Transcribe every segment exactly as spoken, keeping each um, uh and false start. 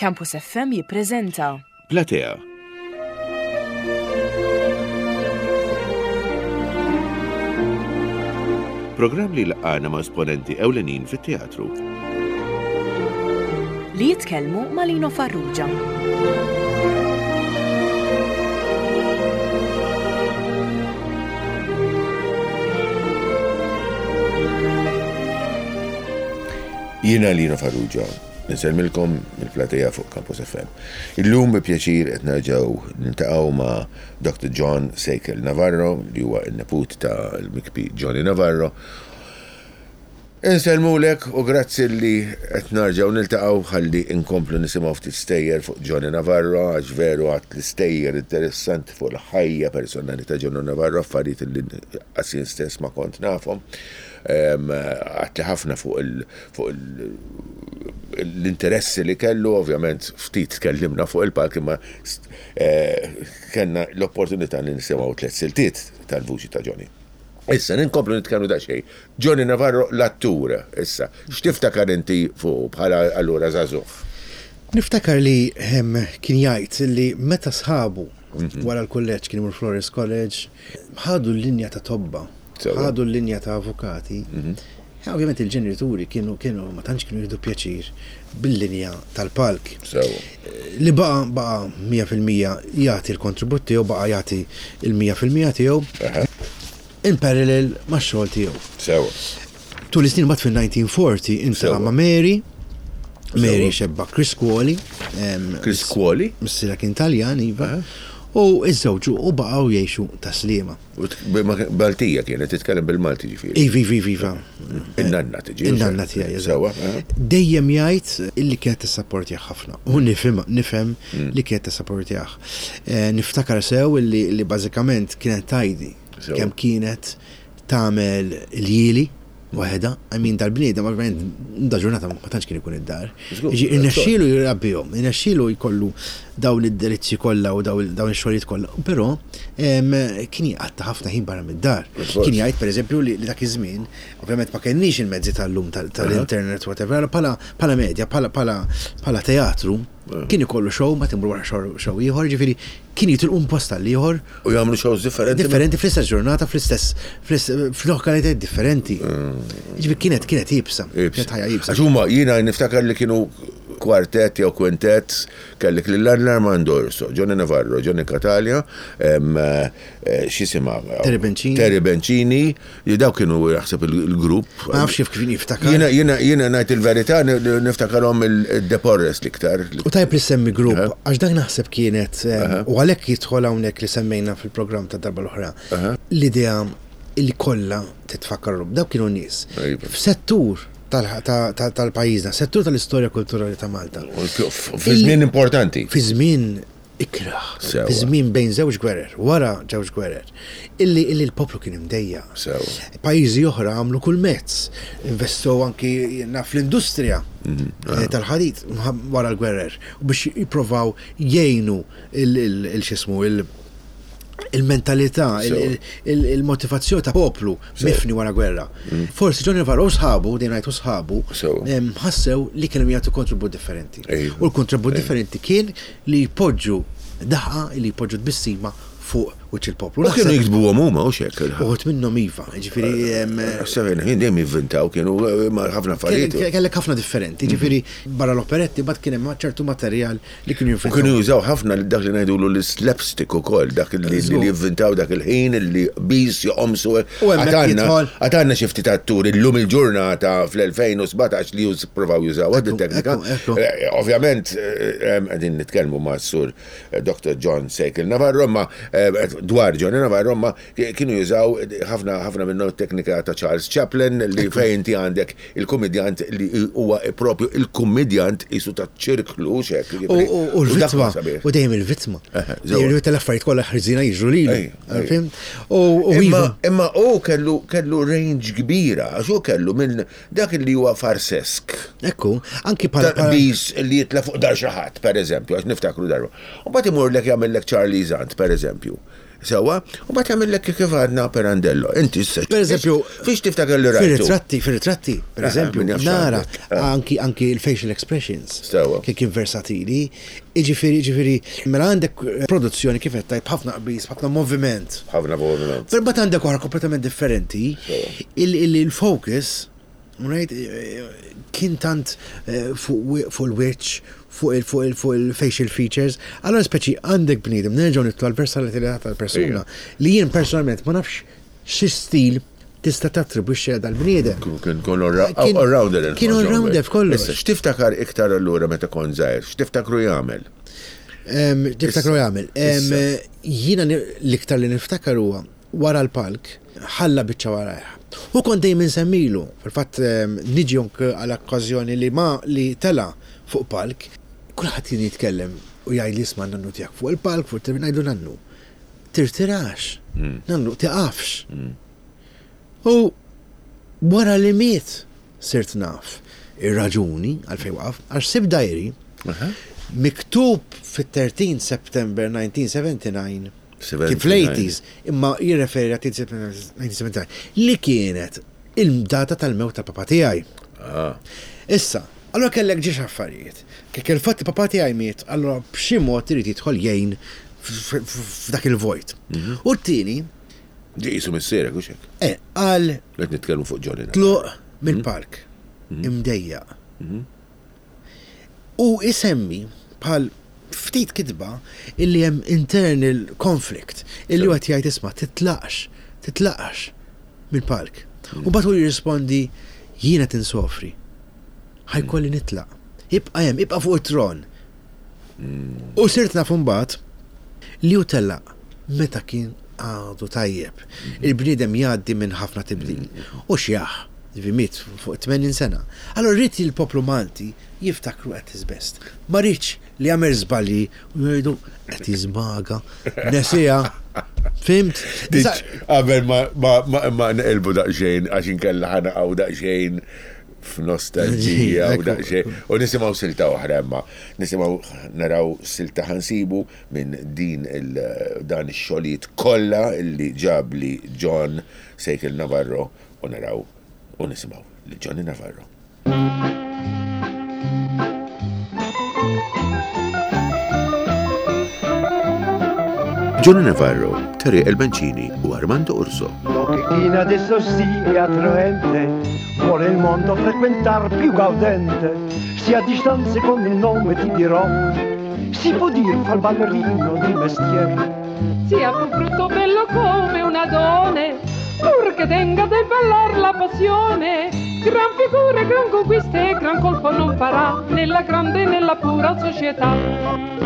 Campus F M jippreżenta Platea. Programm li laqana ma' esponenti ewlenin fit-teatru. Li jitkellmu ma' Lino Farrugia. Jiena Lino Farrugia, nsellmilkom mill-platea fuq Campus F M. Illum bi pjaċir qed nerġgħu niltaqgħu ma' Doctor John Sejkel Navarro, li huwa n-neput ta' l-mikbi Johnny Navarro. Insellmulek u grazzi li qed nerġgħu niltaqgħu ħalli nkomplu nisimgħu ftit stejjer fuq Johnny Navarro, għax veru għat l-istejjer interessanti fuq il-ħajja personali ta' Johnny Navarro, affarijiet li qas jien stess ma kont nafhom. Għatli ħafna fuq il-, fuq il-, l-interessi li kellu, ovvjament ftit tkellimna fuq il-palk, imma eh, kellna l-opportunità li nisimgħu tliet siltiet tal-vuċi ta' Johnny. Issa, ninkomplu nitkellmu da xejn. Johnny Navarro, l-attur, issa, x'tiftakar inti fuq bħala allura żagħżugħ? Niftakar li hemm kien jgħid li meta sħabu Mhm. wara l-kulleġġ kien imur Flores College, ħadu l-linja ta' tobba, Sewa. ħadu l-linja ta' avukati. Mhm. Ja, ovvjament il-ġenituri kienu, kienu ma tantx kienu jieħdu pjaċir bil-linja tal-palk. Sewa. Li baqa, baqa mija fil-mija jagħti l-kontribut tiegħu, baqa jagħti il-mija fil-mija tiegħu. Aha. In parallel max-xogħol tiegħu. Sewa. Tul is-snin mbagħad fil-nineteen forty intaqa' Sewa. ma' Mary. Mary Sewa. xebba Criscuoli. Em, Chris Quali? Missierha kien Taljan, iva. Aha. U iżżewġu u baqgħu jgħixu Tas-Sliema. U t-, b-, ma kien-, Baltija kienet titkellem bil-Malti ġifieri. Ivi, ivi, ivi, iva. In-nanna tiġi. In-nanna tiegħi, eżatt. Sewa, aha. Dejjem jgħid illi kienet tissapportjah ħafna. U nifhem, nifhem Mm. li kienet tissapportjah. Eh, niftakar sew illi, illi bażikament kienet tajdi Sewa. kemm kienet tagħmel il-jili waħedha, I mean dal-bniedem, ovvjament, da ġurnata ma tantx kien ikun id-dar. Żgur, Jiġi, żgur. irnexxielu jrabbihom, irnexxielu jkollu dawn id-delizzji kollha u dawn, dawn ix-xogħlijiet kollha, però, em, kien jqatta' ħafna ħin barra mid-dar. Żgur. Kien jgħid pereżempju li, li dak iż-żmien, ovvjament ma kenniex il-mezzi tal-lum tal-, tal-internet, whatever, bħala, bħala media, bħala, bħala, bħala teatru, Eh. kien ikollu show, ma timur wara show, show ieħor, ġifieri kien jitilqu un post għal ieħor. U jagħmlu shows differenti. Differenti fl-istess ġurnata, fl-istess, fl-istess, f'lokalitajiet differenti. Mm. Ġifieri kienet, kienet iebsa. Iebsa. Kienet ħajja iebsa. Għax huma jiena niftakar li kienu kwartett jew kwintett, kellek lil Armando Orso, Johnny Navarro, Johnny Catalia, em, eh, x'isimha? Terry Bencini. Terry Bencini, li daw kienu jaħseb il-, il-grupp. Ma nafx kif kien jiftakar. Jiena, jiena, jiena ngħid il-verità, ni-, ni-, niftakarhom il-De Porres l-iktar. U tajb li semmi grupp, Aha. għax dak naħseb kienet, em, Aha. u għalhekk jidħol hawnhekk li semmejna fil-programm ta' darba l-oħra, Aha. l-idea li kollha titfakkar, dawk kienu nies. Iva. F'settur tal-, ta-, ta-, tal-pajjiżna, settur tal-istorja kulturali ta' Malta. Fi żmien importanti. Fi żmien ikraħ, Sewa. fi żmien bejn żewġ gwerer, wara żewġ gwerer, illi, illi l-poplu kien imdejja. Sewa. Pajjiżi oħra għamlu kull mezz, investow anki naf l-industrija Mhm. eh, tal-ħadid wara l-gwerer, u biex jipprovaw jgħinu il-, il-, il-xismu, il-, il-mentalità, il-, Sewa. il-, il-, il-motivazzjoni ta' poplu Sewa. mifni wara gwerra. Mm. Forsi Johnny Navarro u sħabu, dejjem ngħidu sħabu, Sewa. em, ħassew li kienu jagħtu kontribut differenti. Ejju. U l-kontribut Ejju. differenti kien li jpoġġu daħqa, li jpoġġu tbissima fuq wiċċ il-poplu. U kienu Naħseb jiktbuhom huma, u x'hekk il-ħadd. Uħud minnhom iva, ġifieri, em, Naħseb jien dejjem jivvintaw, kienu, eh, ma' ħafna affarijiet. Kellek, kellek ħafna differenti, ġifieri barra l-operetti, bad kien hemm ċertu materjal li kienu U jivvintaw. kienu jużaw ħafna dak li ngħidulu l-slapstick ukoll, dak li, li Żgur. jivvintaw dak il-ħin li bis joqomsu. U hemmhekk Għatanna jidħol. għatanna xi ftit atturi llum il-ġurnata fl-elfejn u sbatax li już-, provaw jużaw għad Ekku, it-teknika. ekku, ekku. Eh, ovvjament, eh, em, qegħdin nitkellmu ma' sur, eh, Doctor John Sejkel Navarro, ma, eh, dwar Johnny Navarro, ma kienu jużaw ħafna, ħafna minnu teknika ta' Charles Chaplin, li Ekku. fejn inti għandek il-komedjant li huwa propju il-komedjant isu ta' ċirklu, xek, U, jiġifieri, u, u u dak l-vittma, huwa sabiħ. u dejjem il-vittma. Eħe, Dejjem żewwa. il-vittma l-affarijiet kollha ħriżina jiġru lilu. Ej, ej. Fhimt? U, u Imma iva. imma u kellu, kellu range kbira, għax hu kellu minn dak li huwa farsesk. Ekku, anki bħala Ta' bis li jitla fuq dar xi ħadd, per eżempju, għax niftakru darba. U mbagħad imurlek jagħmellek Charlie Zant, per eżempju. Sewwa, u mbagħad jagħmillek kif għadna Pirandello. Inti issa. Per eżempju, fiex tiftakar li rajtu? Fir-ritratti, fir-ritratti, per Eh, eżempju, min jaf nara x'għandek. Eh. anki anki il-facial expressions. Sewwa. Kien kien versatili. Iġifieri, ġifieri, mela għandek eh, produzzjoni kif qed tajb ħafna qbiż, ħafna moviment. Ħafna moviment. Però mbagħad għandek oħra kompletament differenti. Sewwa. il- il- Il-focus, right, eh, kien tant eh, fuq wi- fuq il-wiċċ, fuq il- fuq il- fuq il-facial features. Allora speċi għandek bniedem, nerġgħu nitlu għal-versatilità tal-persuna li jien personalment ma nafx xi stil tista' tattribwixxi għal dal-bniedem. Kien kien Kien- all-rounder. kien all-rounder f'kollox. Issa, x'tiftakar iktar allura meta kont żgħir? X'tiftakru jagħmel? Em, Tiftakru jagħmel. Em, Issa. Jiena ni- l-iktar li niftakar huwa wara l-palk ħalla biċċa warajh. U kont dejjem insemmilu, fil-fatt em, niġi anke għal okkażjoni li ma li tela fuq palk, kulħadd kien jitkellem u jgħid li isma' nannu tiegħek fuq il-palk, fuq il ngħidu nannu. Tirtirax, nannu tiqafx. U wara li miet sirt naf ir-raġuni għalfejn waqaf, għax sib diary miktub fit-thirteen September nineteen seventy-nine, kien fl-eighties, imma jirreferi għal thirteen September nineteen seventy-nine li kienet il-data tal-mewt ta' papa tiegħi. Ah. Issa, allora kellek żewġ affarijiet. Kif il-fatt li papa tiegħi miet, allora b'xi mod irid jidħol jgħin f- f- f'dak il-vojt. U t-tieni, Ġi jisu missierek, u xek. eh, għal Qed nitkellmu fuq Johnny. tluq mill-park imdejjaq. U isemmi bħal ftit kitba illi hemm internal conflict illi huwa jgħid, "Isma', titlaqx, titlaqx mill-palk." U mbagħad hu jirrispondi, "Jiena tinsofri. Ħa jkolli nitlaq. Ibqa' hemm, ibqa' fuq it-tron." U sirt naf mbagħad li hu telaq meta kien għadu tajjeb. Il-bniedem jgħaddi minn ħafna tibdil. U xjaħ, ġifieri miet fuq tmenin sena. Allora rrid il-poplu Malti jiftakru at his best. Ma rridx li jagħmel żbalji u jgħidu qed jiżmaga, nesija. Fhimt? Diċ, qabel ma, ma, ma, ma nqilbu daqsxejn, għax inkella ħa naqgħu daqsxejn f'nostalġija u daqsxejn. U nisimgħu silta oħra imma. Nisimgħu naraw silta ħa nsibu minn din il dan ix-xogħlijiet kollha illi ġabli John Sejkel Navarro u naraw u nisimgħu li Johnny Navarro. Johnny Navarro, Terry El Mancini u Armando Urso. Lo che chi adesso sì è attraente, vuole il mondo frequentar più gaudente. Se a distanza con il nome ti dirò, si può dir far ballerino di mestiere. Sia pur brutto bello come un Adone, pur che tenga del ballar la passione, gran figura, gran conquista e gran colpo non farà nella grande e nella pura società.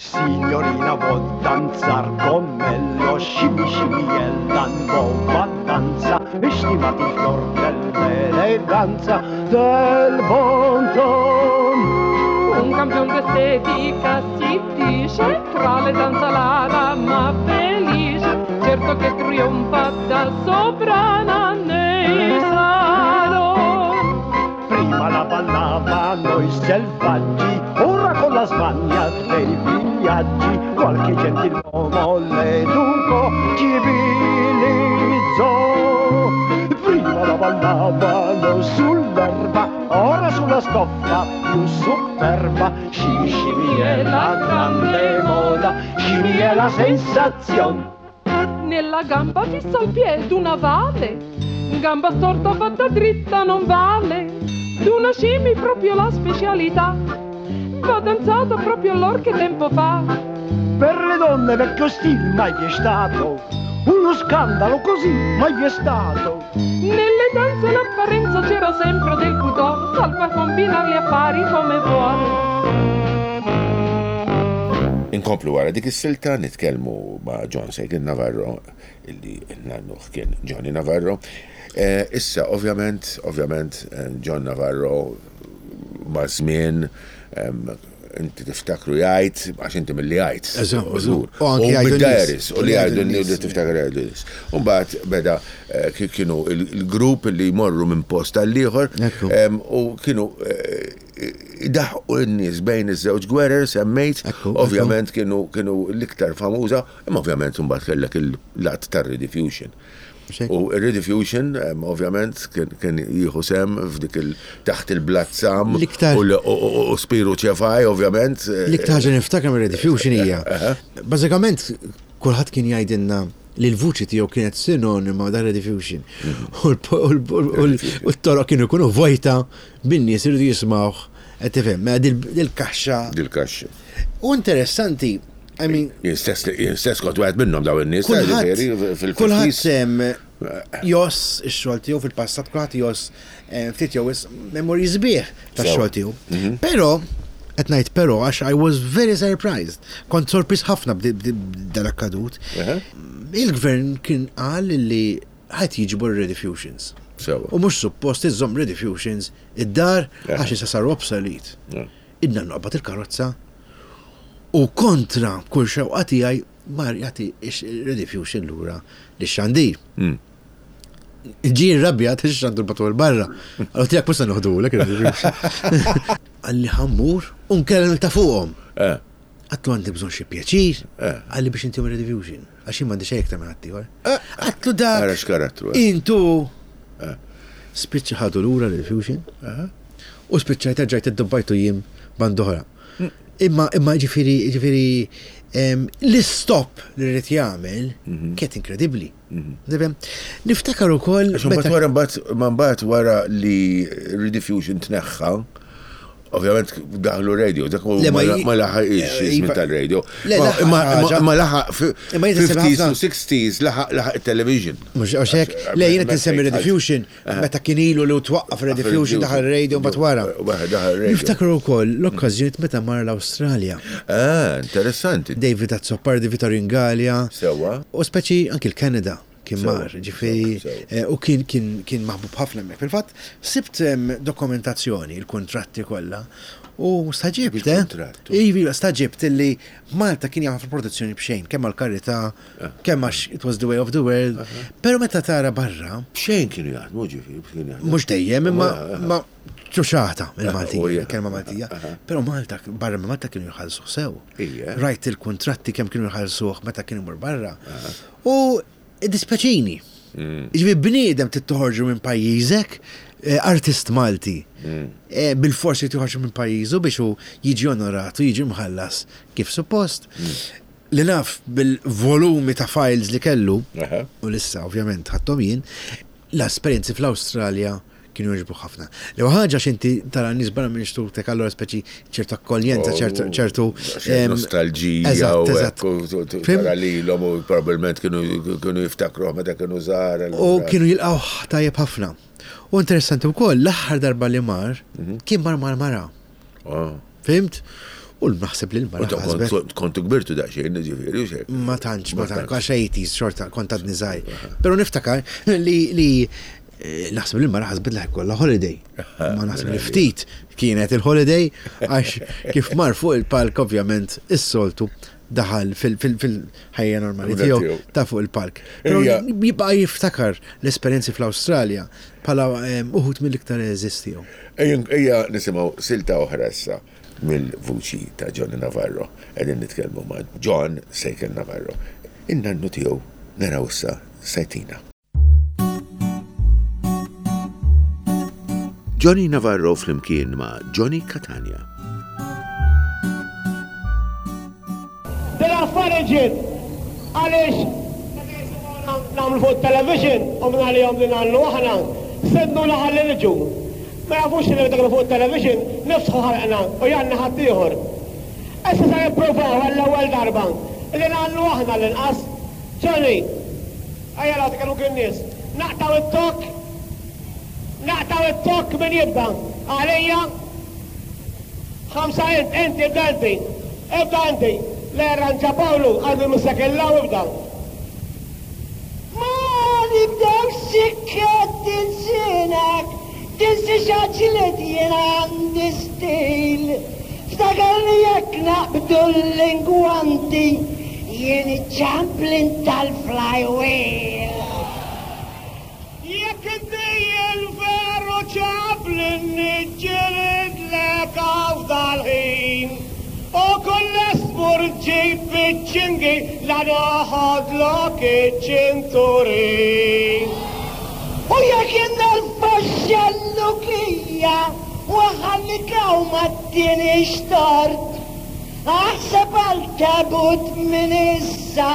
Signorina vuol danzar con me lo scimmi scimmi è la nuova danza, e stimati il fior dell'eleganza del bon ton. Un campion d'estetica si dice, tra le danza la dama felice, certo che trionfa da sovrana nei salon. Prima la ballavano i selvaggi, ora con la smania dei vigliaggi, qualche gentiluomo l'educò, civilizzò. Prima la ballavano sull'erba, ora sulla stoffa più superba. Scimi scimi è la grande moda, scimi è la sensazione. Nella gamba fissa al piede una vale, gamba storta fatta dritta non vale. D'una scimi proprio la specialità, va danzata proprio allor che tempo fa. Per le donne vecchio stil mai vi è stato, uno scandalo così mai vi è stato. Nelle danze l'apparenza c'era sempre del pudor, salva combinar gli affari come vuole. Inkomplu wara dik is-silta nitkellmu ma' John Sejkin Navarro, illi nannuh kien Johnny Navarro. Eh, issa, ovvjament, ovvjament, eh, John Navarro ma' żmien em, inti tiftakru jgħid, għax inti mill-li jgħid. U anki jgħidu u li jgħidu li tiftakru jgħidu n-nies. Umbagħad beda kienu il-grupp li jmorru minn post għall-ieħor u kienu daħqu n-nies bejn iż-żewġ gwerer semmejt, ovvjament kienu l-iktar famuża, imma ovvjament imbagħad kellek il-lat tar-Rediffusion. U il-Rediffusion, ovvjament, kien jieħu sem f'dik taħt il-Blazzam u Spiru Ċefaj, ovvjament. L-iktar ħaġa niftakar mir-Rediffusion hija. Bażikament, kulħadd kien jgħidilna li l-vuċi tiegħu kienet sinonima da' Rediffusion. U t-toroq kienu jkunu vojta bin-nies iridu jismgħuh, qed tifhem, dil-kaxxa. Dil-kaxxa. U interessanti, I mean, jien stess kont wieħed minnhom dawn in-nies. Kulħadd sem joss ix-xogħol tiegħu fil-passat, kulħadd joss ftit jew memorji sbieħ tax-xogħol tiegħu. Però qed ngħid però għax I was very surprised. Kont sorpriż ħafna b'dal-akkadut. Il-gvern kien qal li ħadd jiġbor Rediffusions. U mhux suppost iżżomm Rediffusions id-dar għax issa saru obsolete. Idna noqbad il-karozza u kontra kull xewqa tiegħi mar jagħti Rediffusion lura lix-xandir. Ġie rrabjat ix-xandur batu l barra. Għallu tiegħek mhux se noħdulek ir-Rediffusion. Qalli ħammur u nkellem ta' fuqhom. Għatlu għandi bżonn xi pjaċir, qalli biex intihom Rediffusion. Għax jien m'għandi xejn iktar minn ħaddieħor. Għatlu dak. Ara x'karattru. Intu. Spiċċa ħadu lura Rediffusion. U spiċċajt erġajt iddubbajtu jiem band oħra. Imma imma ġifieri ġifieri l-istop li rrid jagħmel kienet inkredibbli. Niftakar ukoll. Mbagħad wara mbagħad wara li Rediffusion tneħħa, ovvjament daħlu radio, dak ma laħaqx iż-żmien tal-radio. Imma laħaq fifties u sixties laħaq laħaq it-television. Mhux hekk, le jiena tinsemmi Rediffusion meta kien ilu li twaqqaf Rediffusion daħal radio mbagħad wara. Niftakru wkoll l-okkażjonijiet meta mar l-Awstralja. Ah, interessanti. David Azzopardi, Vittorio Gallia. Sewwa. U speċi anki l-Kanada kien mar, ġifieri, u kien kien kien maħbub ħafna hemmhekk. Fil-fatt, sibt dokumentazzjoni, il-kontratti kollha, u staġibt, eh? Iva, staġibt illi Malta kien jagħmel produzzjoni b'xejn, kemm għall-karità, kemm għax it was the way of the world. Però meta tara barra. B'xejn kienu jaħdmu, ġifieri. Mhux dejjem, imma ma ċuċata il-Maltija, kelma Maltija. Però Malta, barra minn Malta kienu jħallsuh sew. Rajt il-kontratti kemm kienu jħallsuh meta kienu jmur barra. U dispjaċini. Ġifieri bniedem tittoħorġu minn pajjiżek, artist Malti, bil-forsi toħorġu minn pajjiżu biex hu jiġi onorat u jiġi mħallas kif suppost. Li naf bil-volumi ta' files li kellu, u lissa ovvjament ħadthom jien, l-esperjenzi fl-Awstralja kienu jogħġbu ħafna. Li ħaġa x'inti tara nies barra minn xtutek, allura speċi ċertu akkoljenza, ċertu nostalġija u tara lilhom u probabbilment kienu jiftakruh meta kienu żgħar. U kienu jilqgħu tajjeb ħafna. U interessanti wkoll l-aħħar darba li mar kien mar mal-mara. Fimt? U naħseb li l-mara. Kontu kbirtu daqsxejn, ġifieri, u xejn. Ma tantx, ma tantx, għax eighties xorta kont għadni żgħir. Però niftakar li naħseb li l-mara ħasbet li ħkollha holiday. Ma naħseb li ftit kienet il-holiday għax kif mar fuq il-palk ovvjament is-soltu daħal fil-ħajja normali tiegħu ta' fuq il-palk. Però jibqa' jiftakar l-esperjenzi fl-Awstralja bħala uħud mill-iktar eżistiegħu. Ejja nisimgħu silta oħra issa mill-vuċi ta' Johnny Navarro. Qegħdin nitkellmu ma' John Sejkel Navarro. In-nannu tiegħu naraw issa sajtina. Johnny Navarro flimkien ma' Johnny Catania. Dil-affari ġiet għaliex nagħmlu fuq television u minn għalihom li nagħmlu aħna sednuna ħalli niġu. Ma jafux li dak fuq television niftħu ħalqna u janna ħaddieħor. Issa se nippruvaw għall-ewwel darba li nagħmlu aħna l-inqas. Johnny, ejja nagħti kienu kien nies. Naqtaw it-tokk, naqtaw it-tokk min jibda. Għalija, ħamsa int, inti ibda inti, ibda inti. Le arranġa Pawlu, għandu l-musakellaw ibda. Ma nibdew sikket tinsinek, tinsi xaġlet jien għandi stil. Ftakar li jekk naqbdu l-lingwanti, jien iċ-Chaplin tal-flywheel. Jekk inti il-veru Chaplin niġġelidlek f'dal-ħin. U kull esmur ġib iċ-ċingi la noħodlok iċ-ċinturin. U jekk nerfa' x-xellukija u nħallik hawn ma ttinix tort, aħseb għal tabut minn issa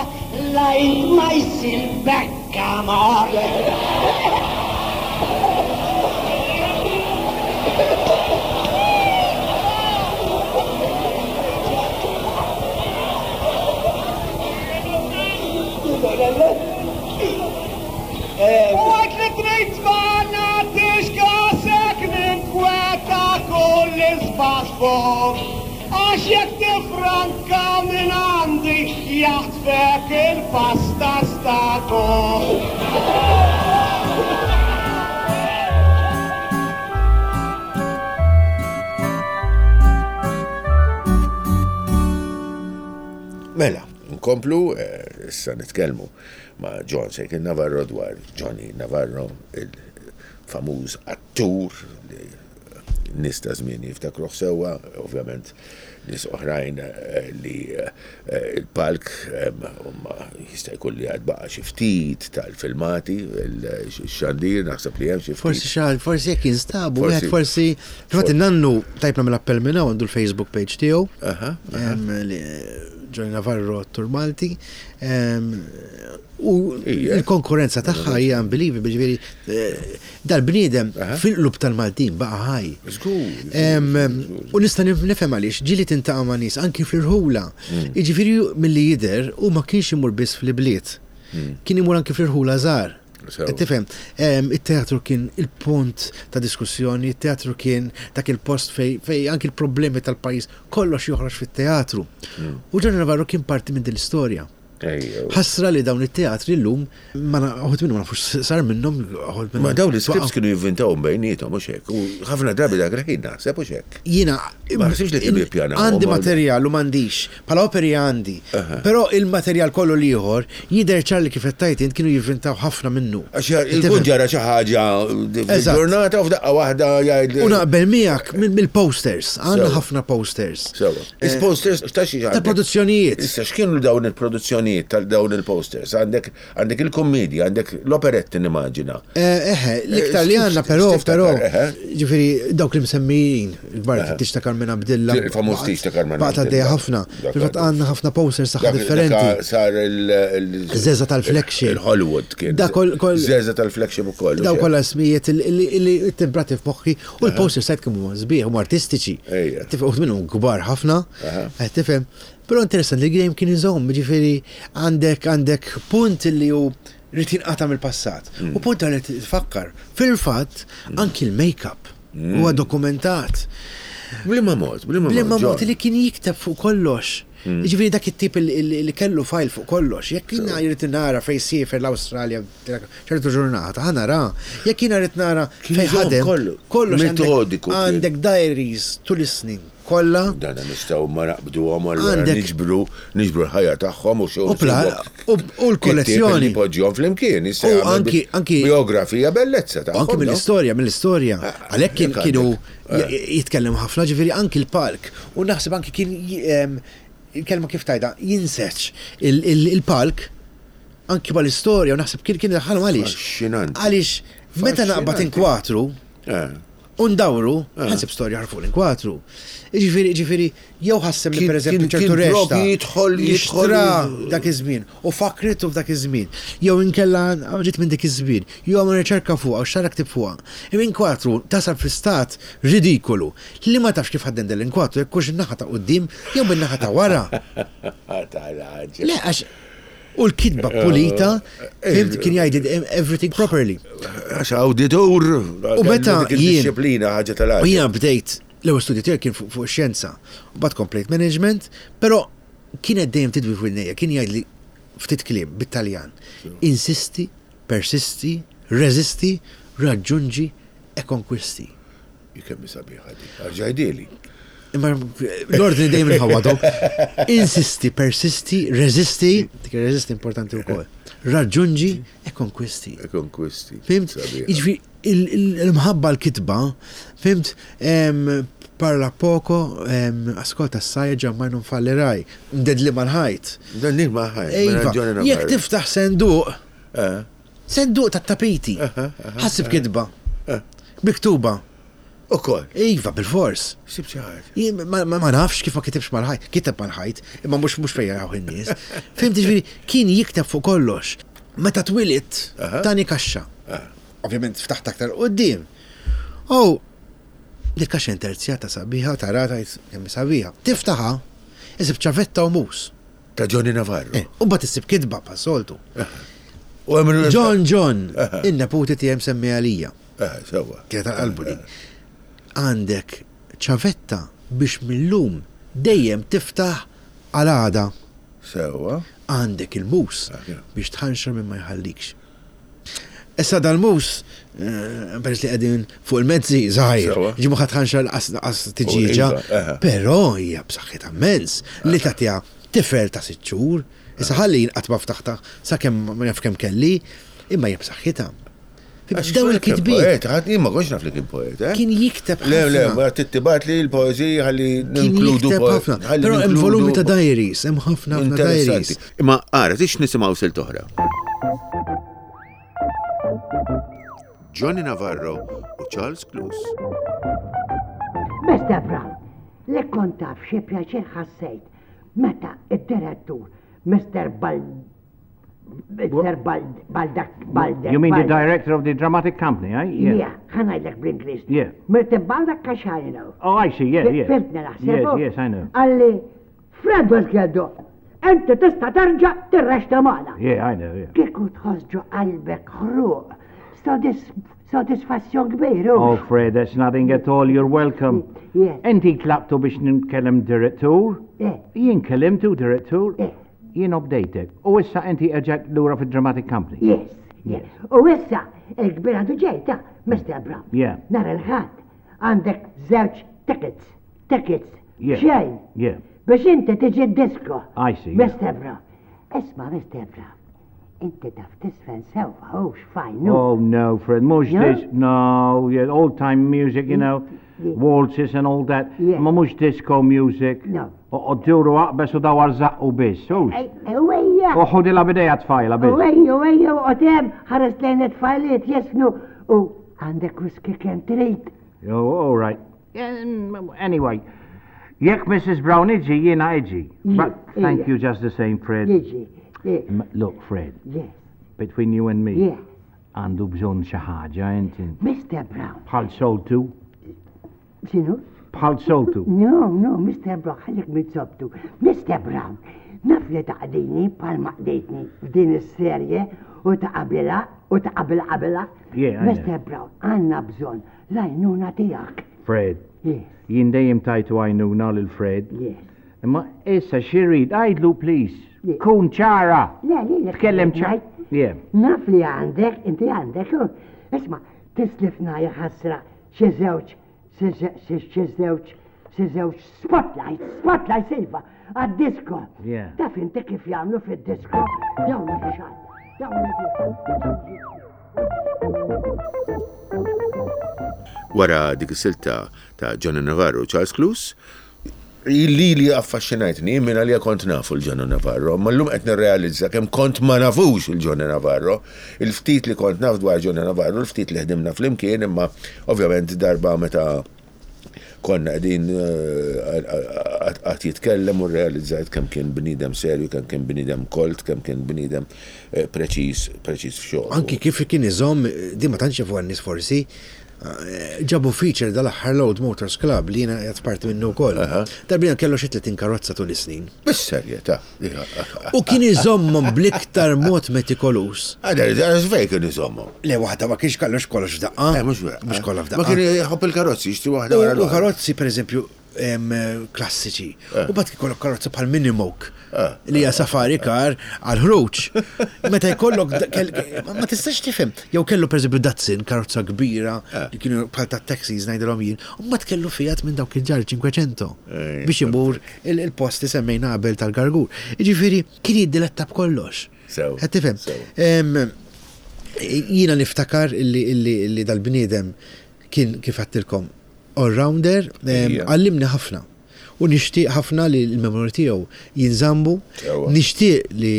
la int ma jsir bekka mort. U għajt li trid ma nagħtix kasek ninkweta kull isbaħ fuq. Għax jekk tifranka minn għandi jaħtfek il-pasta stako. Mela, nkomplu, eh, issa nitkellmu ma' John Sejkin Navarro dwar Johnny Navarro, il-famuż attur li nies ta' żmien jiftakruh sewwa, ovvjament nies oħrajn eh, li eh, il-palk huma jista' jkun li għad baqa' xi ftit tal-filmati, il-xandir, naħseb li hemm xi ftit. Forsi xal, forsi jekk jinstabu, wieħed forsi. Fil-fatt in-nannu tajb nagħmel appell minn hawn għandu l-Facebook page tiegħu. Aha, aha. Em, li Johnny Navarro attur Malti. Em, U Ija. il-konkurrenza tagħha hija unbelievable, ġifieri eh, dal-bniedem Aha. fil-qlub tal-Maltin baqa' ħaj. Żgur, Em, żgur, żgur, U nista' nif- nifhem għaliex ġieli tintaqa' ma' nies anki fl-irħula. Mm. Jiġifieri milli jidher u ma kienx imur biss fl-ibliet. Kien imur anki fl-irħula żgħar. Mm. Sew. Qed Tifhem, em, it-teatru kien il-punt ta' diskussjoni, it-teatru kien dak il-post fej, fej anki l-problemi tal-pajjiż kollox joħroġ fit-teatru. Mm. U Johnny Navarro kien parti minn din l-istorja. Ejjew. Ħasra li dawn it-teatri llum ma na- uħud minnhom ma nafux sar minnhom uħud minnhom. Ma dawn l-scripts waqgħu. kienu jivvintawhom bejniethom mhux hekk. U ħafna drabi dak il-ħin naħseb mhux hekk. Jiena Ma ħsibx li kienu jippjanaw. Għandi materjal u m'għandix, bħala operi għandi. Però il-materjal kollu l-ieħor jidher ċar li kif qed tgħid int kienu jivvintaw ħafna minnu. Għax il-kun ġara xi ħaġa Eżatt. ġurnata u f'daqqa waħda jgħid. U naqbel miegħek mill- mill-posters, għandna Sewa. ħafna posters. Sewa. Is-posters ta' xi għandek? Tal-produzzjonijiet. Issa x'kienu dawn il-produzzjonijiet tal dawn il-posters? Għandek għandek il-kommedja, għandek l-operetti nimmaġina. Eh, Eħe, l-iktar li Eh, għandna però, x'tiftakar, però, eħe. ġifieri dawk li msemmijin, il-kbar Tiġ ta' Carmen Abdilla. Il-famuż Tiġ ta' Carmen Baqgħet għaddejja Abdilla. ħafna. Dak Fil-fatt għandu. għandna ħafna posters tagħha Dak- differenti. dak Sar il- Żeża tal-flagship. Il-Hollywood kien. Da kol- kol- Żeża tal-flagship ukoll. Daw kollha ismijiet li li timbrati f'moħħi u l-posters sajt kemm huma sbieħ huma artistiċi. Ejja. Tifhem uħud minnhom kbar ħafna. Aha. Qed Tifhem. Però interessanti li dejjem kien iżomm, ġifieri għandek għandek punt li hu rrid jinqata' mill-passat. Mm. U punt li tfakkar. Fil-fatt anki l-make-up Mm. huwa dokumentat. Bliema mod, bliema mod. Bliema mod John. li kien jikteb fuq kollox. Mm. Ġifieri dak it-tip li- li li kellu file fuq kollox. Jekk jiena jrid nara fejn siefer l-Awstralja ċertu ġurnata, ħa nara. Jekk jiena rrid nara Kien fejn iżomm ħadem kollu. kollox għandek- Metodiku kien. Għandek diaries tul is-snin kollha. Dan nistgħu ma naqbduhom allura Għandek- niġbru niġbru l-ħajja tagħhom u xi U pla- u- u l-kollezzjoni. Poġġihom flimkien, jista' U jagħmel anki- anki- biografija bellezza tagħhom. Anki no? mill-istorja, mill-istorja. Ah, Għalhekk kien jekk kienu għandek. j- jitkellem ħafna, ġifieri anki l-palk. U naħseb anki kien j- em, il-kelma kif tajda, jinseċ il- il- il-palk anki bħal-istorja u naħseb kien kien daħħalhom għaliex. Affaxxinanti. Għaliex meta naqbad Affaxxinanti. inkwatru Eh. u ndawru, ħansib storja ħarfu l-inkwatru. Ġifieri, ġifieri, jew ħassem li Kien- per eżempju kien- ċertu kien rexta. propju jidħol- jidħol- Jixtra dak iż-żmien u fakritu f'dak iż-żmien. Jew inkella ġiet minn dik iż-żmien, jew għamel riċerka fuqha u xara ktib fuqha. Imma inkwatru tasal fi stat ridikolu li ma tafx kif ħaddem del inkwatru jekk hux in-naħa ta' quddiem jew min-naħa ta' wara. Tal-ħaġa. Le għax u l-kitba pulita, fimt kien jgħid everything properly. Għax awditur. U meta dik jien- il-disciplina ħaġa tal-ħaġa. U jiena bdejt l-ewwel studju tiegħi kien fuq fuq xjenza, u bad komplejt management, però kienet dejjem tidwi fuq il-nejja, kien jgħidli ftit kliem bit-Taljan. Insisti, persisti, resisti, raggiungi e conquisti. Kemm sabiħa dik. Arġajdili. Imma l-ordni dejjem inħawwadhom. Insisti, persisti, resisti, dik resisti importanti wkoll. Raġġunġi e konkwisti. E konkwisti. Fhimt? Jiġifieri il-mħabba l-kitba, fhimt? Parla poco, ascolta assai, giammai non fallirai. Mdedli mal-ħajt. Mdedli mal-ħajt. Iva, jekk tiftaħ senduq, eh. senduq ta' tapiti, ħa ssib kitba, eh. miktuba. Ukoll. Iva, bil-fors. Sib xi ħaġa. Ma nafx kif ma kitibx mal-ħajt. Kiteb mal-ħajt, imma mhux mhux fejn jaraw in-nies. Fhimt ġifieri kien jikteb fuq kollox. Meta twilidt, tani kaxxa. Ovvjament ftaħt aktar quddiem. Oh, dik kaxxa interzjata sabiħa, tarata kemm sabiħa. Tiftaħha, issib ċavetta u mus. Ta' Johnny Navarro. Eh, u mbagħad issib kitba pas-soltu. John John, in-neputi tiegħi msemmi għalija. Sewwa. Kienet qalbu din. Għandek ċavetta biex millum dejjem tiftaħ għal għada. Sewwa. Għandek il-mus biex tħanxar minn ma jħallikx. Issa dal-mus, eh, peress li qegħdin fuq il-mezzi żgħir, ġimu ħadd ħanxar qas tiġiġa, iva, però hija b'saħħitha immens li tagħtiha tifel ta' sitt xhur, issa ħalli jien qatt ma ftaħta sakemm ma naf kemm kelli, imma hija b'saħħitha. Daw il-kitbiet. Poeta, jien ma kontx naf li kien poeta. Kien jikteb Le, le, ma tittibat li l-poezija ħalli ninkludu ħafna. Però hemm volumi ta' diaries, hemm ħafna ħafna diaries. Imma ara, tix nisimgħu silt oħra. Johnny Navarro u Charles Cluse. Mister Brown, li kont taf xi pjaċir ħassejt meta id-direttur Mister Bal Mister Bald Baldak Baldak. You mean the director of the dramatic company, eh? Yeah. Yeah, ħa ngħidlek bl-Ingliż. Yeah. Mister Baldak Kaxajno. Oh, I see, yeah, yeah. Fhimtni naħseb. Yes, yes, I know. Qalli, Fred Wasgeldo, inti tista' terġa' tirrexta magħna. Yeah, I know, yeah. Kieku tħoss ġo qalbek ħruq, sodisfazzjon kbir. Oh, Fred, that's nothing at all. You're welcome. Yeah. Inti tlabtu biex nkellem direttur? Yeah. Jien kellimtu direttur? Yeah. Jien obdejtek. U issa inti erġajt lura fid-dramatic company. Yes, yes. U issa il-kbir għadu ġejta, Mister Brown. Yeah. Nhar il-Ħadd għandek żewġ tickets, tickets. Yeah. Xejn. Yeah. Biex inti tiġi d-disco. I see. Yeah. Mister Brown. Isma, Mister Brown. Inti taf tisfen sewwa, hux fajn. Oh no, Fred, mhux No? this, no, yeah, old time music, you know, Yeah. waltzes and all that. Yeah. Ma mhux disco music. No. U duru aqbes u dawar zaqqu biss, hux. Ejja. U ħudilha bidejha tfajla biss. Ejja, ejja, u tem ħares lejn it-tfajliet jesnu u għandek whisky kemm trid. Oh, all right. Yeah, anyway, jekk Missus Brown iġi, jiena iġi. But thank you just the same, Fred. Jiġi. Look, Fred. Yes. Between you and me. Yeah. Għandu bżonn xi ħaġa inti. Mister Brown. Bħal soltu. X'inhu? Bħal soltu. No, no, Mister Brown, ħallik mit-sobtu. Mister Brown, naf li taqdini bħal ma qdejtni f'din is-serje u ta' qabilha u ta' qabel qabilha. Yeah, I know. Mister Brown, għandna bżonn l-għajnuna tiegħek. Fred. Yes. Jien dejjem tajtu għajnuna lil Fred. Yes. Imma issa xi rrid, għidlu please. Yeah. Kun ċara. Le, le, le. Tkellem ċara. Yeah. Naf li għandek, inti għandek, u isma', tislifna jaħasra xi żewġ, xi żewġ, xi żewġ spotlights, spotlights iva, għad-disco. Yeah. Taf inti kif jagħmlu fid-disco, dawn il-xan, dawn il-xan. Wara dik is-silta ta' Johnny Navarro u Charles Cluse, li li affaxxinajtni minn għalija kont nafu l-Johnny Navarro, ma llum qed nirrealizza kemm kont ma nafux il-Johnny Navarro. Il-ftit li kont naf dwar Johnny Navarro, il-ftit li ħdimna flimkien, imma ovvjament darba meta konna qegħdin qatt jitkellem u rrealizzajt kemm kien bniedem serju, kemm kien bniedem kolt, kemm kien bniedem preċiż, preċiż f'xogħol. Anki kif kien iżomm, din ma tantx jafuha n-nies forsi, ġabu feature dal-aħħar Load Motors Club li jiena qed parti minnu wkoll. Darbina kellu xi tletin karozza tul is-snin. Bis-serjetà. U kien iżommhom bl-iktar mod metikoluż. Għadha, għadha, fejn kien iżommhom? Le, waħda ma kienx kollox kollox f'daqqa. Eh, mhux vera. Mhux kollha f'daqqa. Ma kien jħobb il-karozzi, jixtri waħda wara U l-oħra. karozzi, pereżempju, em, klassiċi. Eh. U bat ikollok karozza bħal Minimoke Eh. li hija safari car għal ħruġ. Meta jkollok da- kell- ma ma tistax tifhem. Jew kellu pereżempju Datsun, karozza kbira Eh. li kienu bħal ta' taxis ngħidilhom jien, u mbagħad kellu Fiat minn dawk il-ġar cinquecento Eh, biex imur il- il-post li semmejna qabel tal-Gargur. Jiġifieri kien jiddiletta b'kollox. Sew, Qed tifhem? sew. Em, Jiena niftakar illi, illi, illi dal-bniedem kien kif għattilkom all-rounder, em, Ija. għallimni ħafna. U nixtieq ħafna li l-memorji tiegħu jinżambu, Sewwa. nixtieq li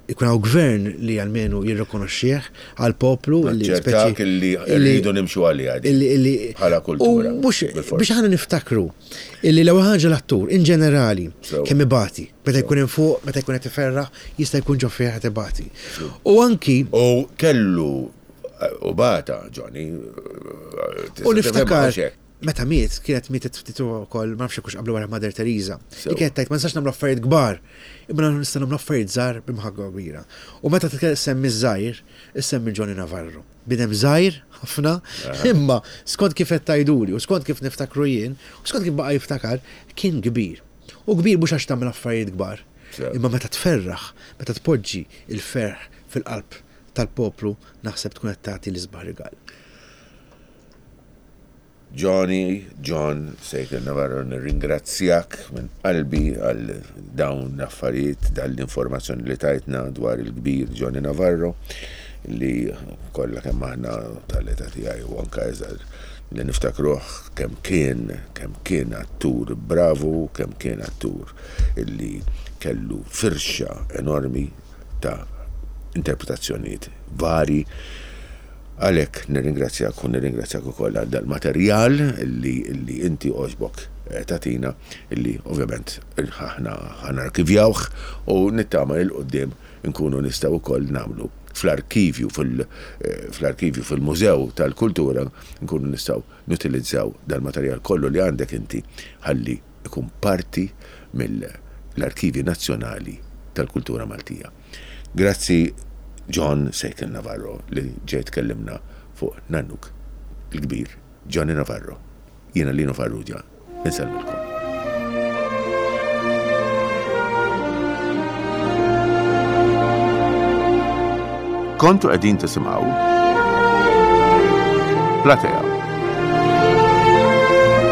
ikun hawn gvern li almenu jirrikonoxxih għal poplu li Naċċertak illi rridu nimxu għaliha di. illi illi Bħala kultura, U mhux bil-fors. biex aħna niftakru illi l-ewwel ħaġa l-attur in ġenerali Sewwa. kemm ibati, meta jkun hemm fuq, meta jkun qed iferraħ, jista' jkun ġo fih qed ibati. U anki U kellu u bata, Johnny. U niftakar, meta miet, kienet mietet ftit ukoll, ma nafx hux qablu wara Mother Teresa. Sew. Li kienet tajt ma nistax nagħmlu affarijiet kbar, imma nista' nagħmlu affarijiet żgħar b'imħabba kbira. U meta semmi żgħir, issemmi Johnny Navarro. Bidem żgħir ħafna, imma skont kif qed tgħiduli u skont kif niftakru jien, u skont kif baqa' jiftakar, kien kbir. U kbir mhux għax tagħmel affarijiet kbar, Sew. imma meta tferraħ, meta tpoġġi il-ferħ fil-qalb tal-poplu, naħseb tkun qed tagħti l-isbaħ rigal. Johnny, John, Sejkel Navarro, nirringrazzjak minn qalbi għal dawn l-affarijiet, dal-informazzjoni li tajtna dwar il-kbir Johnny Navarro, li kollha kemm aħna tal-età tiegħi u anka iżgħar li niftakruh kemm kien, kemm kien attur bravu, kemm kien attur illi kellu firxa enormi ta' interpretazzjonijiet vari. Għalek nirringrazzjak u nirringrazzjak ukoll għal dal-materjal li, li inti oġbok eh, tatina illi ovvjament aħna ħanarkivjawh u nittama il qoddim nkunu nistgħu wkoll nagħmlu fl-arkivju fil- eh, fl-arkivju fil-mużew tal-kultura nkunu nistgħu nutilizzaw dal-materjal kollu li għandek inti ħalli ikun parti mill-arkivi nazzjonali tal-kultura Maltija. Grazzi John Sejkel Navarro li ġejt kellimna fuq Nannuk il-kbir Johnny Navarro. Jiena Lino Farrugia, insellmilkom. Kontu qegħdin tisimgħu Platea.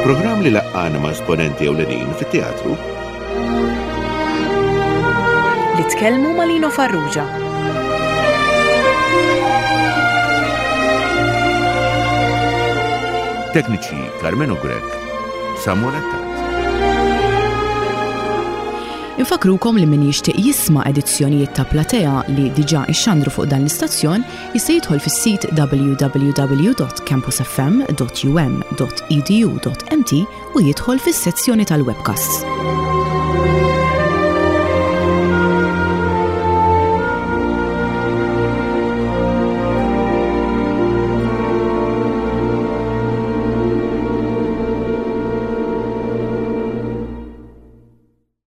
Programm li laqqana ma' esponenti ewlenin fit-teatru Li tkellmu ma' Lino Farrugia. Tekniċi Carmelo Grech, Samuel Attard. Infakrukom li min jixtieq jisma' edizzjonijiet ta' Platea li diġà ixxandru fuq dan l-istazzjon jista' jidħol fis-sit w w w dot campusfm dot u m dot e d u dot m t u jidħol fis-sezzjoni tal-webcasts.